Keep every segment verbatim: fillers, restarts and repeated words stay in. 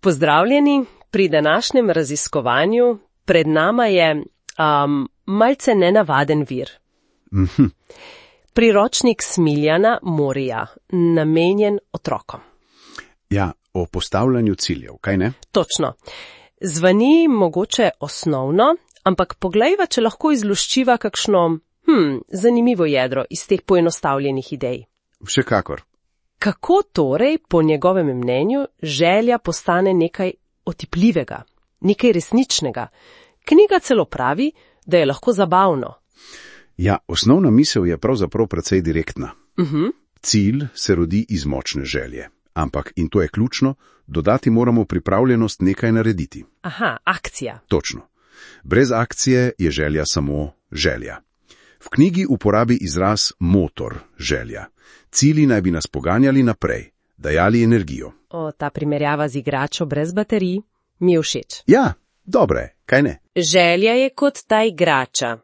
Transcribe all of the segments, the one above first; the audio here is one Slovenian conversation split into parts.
Pozdravljeni, pri današnjem raziskovanju pred nama je um, malce nenavaden vir. Mhm. Priročnik Smiljana Morija, namenjen otrokom. Ja, o postavljanju ciljev, kaj ne? Točno. Zvani mogoče osnovno, ampak poglejva, če lahko izluščiva kakšno hm, zanimivo jedro iz teh poenostavljenih idej. Še kakor. Kako torej, po njegovem mnenju, želja postane nekaj otipljivega, nekaj resničnega? Knjiga celo pravi, da je lahko zabavno. Ja, osnovna misel je pravzaprav precej direktna. Uh-huh. Cilj se rodi iz močne želje. Ampak, in to je ključno, dodati moramo pripravljenost nekaj narediti. Aha, akcija. Točno. Brez akcije je želja samo želja. V knjigi uporabi izraz motor, želja. Cilji naj bi nas poganjali naprej, dajali energijo. O, ta primerjava z igračo brez baterij mi je všeč. Ja, dobre, kaj ne? Želja je kot ta igrača.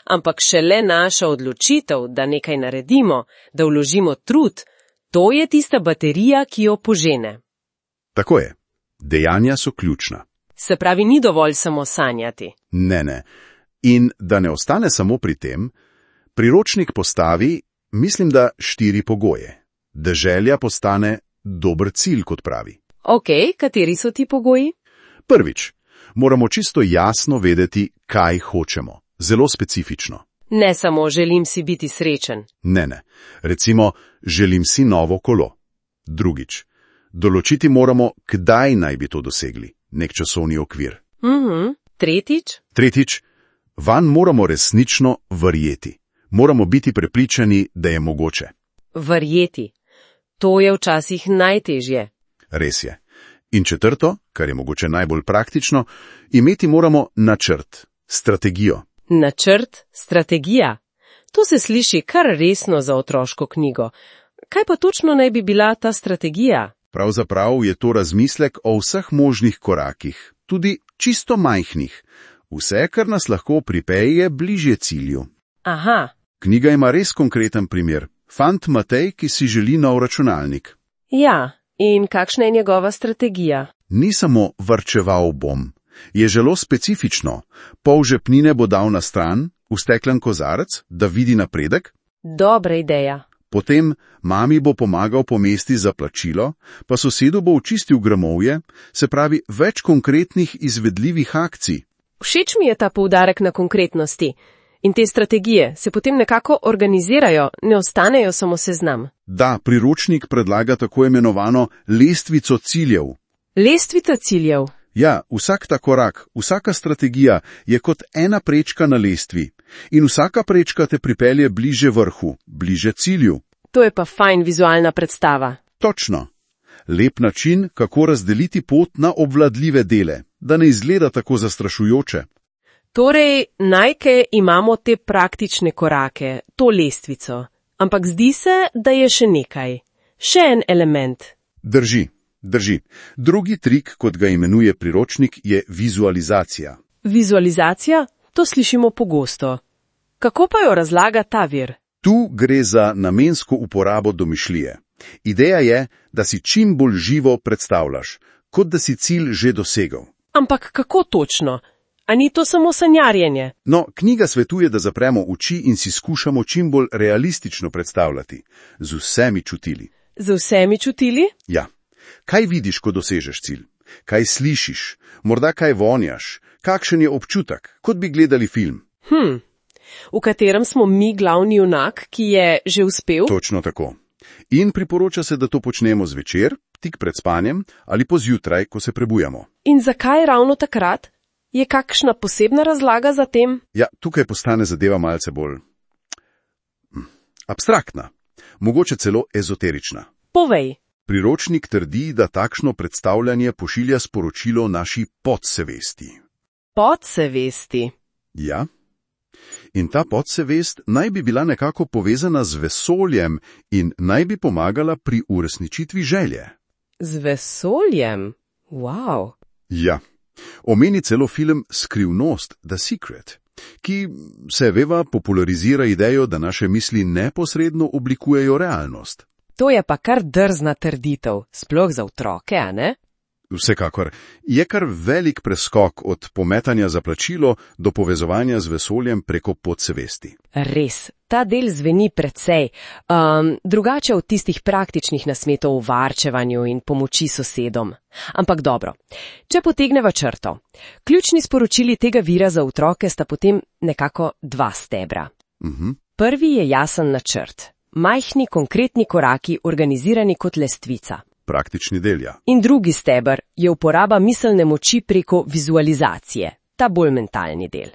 Ampak šele naša odločitev, da nekaj naredimo, da vložimo trud, to je tista baterija, ki jo požene. Tako je. Dejanja so ključna. Se pravi, ni dovolj samo sanjati. Ne, ne. In da ne ostane samo pri tem, priročnik postavi, mislim, da štiri pogoje. Da želja postane dober cilj, kot pravi. Ok, kateri so ti pogoji? Prvič, moramo čisto jasno vedeti, kaj hočemo. Zelo specifično. Ne samo želim si biti srečen. Ne, ne. Recimo, želim si novo kolo. Drugič, določiti moramo, kdaj naj bi to dosegli. Nek časovni okvir. Mhm. Tretjič? Tretjič, vanj moramo resnično verjeti. Moramo biti prepričani, da je mogoče. Verjeti. To je včasih najtežje. Res je. In četrto, kar je mogoče najbolj praktično, imeti moramo načrt, strategijo. Načrt, strategija. To se sliši kar resno za otroško knjigo. Kaj pa točno naj bi bila ta strategija? Pravzaprav je to razmislek o vseh možnih korakih, tudi čisto majhnih. Vse, kar nas lahko pripelje bližje cilju. Aha. Knjiga ima res konkreten primer. Fant Matej, ki si želi nov računalnik. Ja, in kakšna je njegova strategija? Ni samo varčeval bom. Je zelo specifično. Pol žepnine bo dal na stran, v steklen kozarec, da vidi napredek. Dobra ideja. Potem mami bo pomagal pomesti za plačilo, pa sosedu bo očistil gramovje, se pravi več konkretnih izvedljivih akcij. Všeč mi je ta poudarek na konkretnosti. In te strategije se potem nekako organizirajo, ne ostanejo samo seznam. Da, priročnik predlaga tako imenovano lestvico ciljev. Lestvica ciljev? Ja, vsak ta korak, vsaka strategija je kot ena prečka na lestvi. In vsaka prečka te pripelje bliže vrhu, bliže cilju. To je pa fajn vizualna predstava. Točno. Lep način, kako razdeliti pot na obvladljive dele, da ne izgleda tako zastrašujoče. Torej, najke imamo te praktične korake, to lestvico. Ampak zdi se, da je še nekaj. Še en element. Drži, drži. Drugi trik, kot ga imenuje priročnik, je vizualizacija. Vizualizacija? To slišimo pogosto. Kako pa jo razlaga ta vir? Tu gre za namensko uporabo domišljije. Ideja je, da si čim bolj živo predstavljaš, kot da si cilj že dosegel. Ampak kako točno? A ni to samo sanjarjenje? No, knjiga svetuje, da zapremo oči in si skušamo čim bolj realistično predstavljati. Z vsemi čutili. Z vsemi čutili? Ja. Kaj vidiš, ko dosežeš cilj? Kaj slišiš? Morda kaj vonjaš? Kakšen je občutek? Kot bi gledali film. Hm. V katerem smo mi glavni junak, ki je že uspel? Točno tako. In priporoča se, da to počnemo zvečer, tik pred spanjem ali pozjutraj, ko se prebujamo. In zakaj ravno takrat? Je kakšna posebna razlaga za tem? Ja, tukaj postane zadeva malce bolj abstraktna, mogoče celo ezoterična. Povej. Priročnik trdi, da takšno predstavljanje pošilja sporočilo naši podsevesti. Podsevesti? Ja. In ta podsevest naj bi bila nekako povezana z vesoljem in naj bi pomagala pri uresničitvi želje. Z vesoljem? Wow. Ja. Omeni celo film Skrivnost, The Secret, ki se veva popularizira idejo, da naše misli neposredno oblikujejo realnost. To je pa kar drzna trditev, sploh za otroke, a ne? Vsekakor. Je kar velik preskok od pometanja za plačilo do povezovanja z vesoljem preko podsvesti. Res, ta del zveni precej. Um, drugače od tistih praktičnih nasmetov o varčevanju in pomoči sosedom. Ampak dobro, če potegneva črto. Ključni sporočili tega vira za otroke sta potem nekako dva stebra. Uh-huh. Prvi je jasen načrt. Majhni, konkretni koraki, organizirani kot lestvica. Praktični del, ja. In drugi steber je uporaba miselne moči preko vizualizacije, ta bolj mentalni del.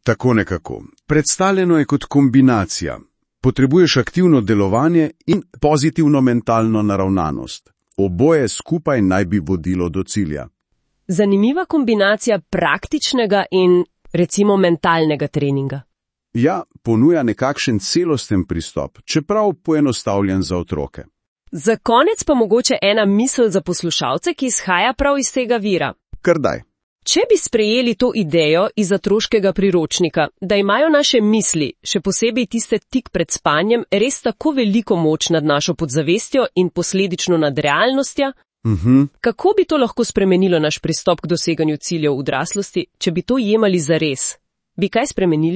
Tako nekako. Predstavljeno je kot kombinacija. Potrebuješ aktivno delovanje in pozitivno mentalno naravnanost. Oboje skupaj naj bi vodilo do cilja. Zanimiva kombinacija praktičnega in, recimo, mentalnega treninga. Ja, ponuja nekakšen celosten pristop, čeprav poenostavljen za otroke. Za konec pa mogoče ena misel za poslušalce, ki izhaja prav iz tega vira. Kar daj. Če bi sprejeli to idejo iz otroškega priročnika, da imajo naše misli, še posebej tiste tik pred spanjem, res tako veliko moč nad našo podzavestjo in posledično nad realnostjo, uh-huh. kako bi to lahko spremenilo naš pristop k doseganju ciljev v odraslosti, če bi to jemali zares? Bi kaj spremenili?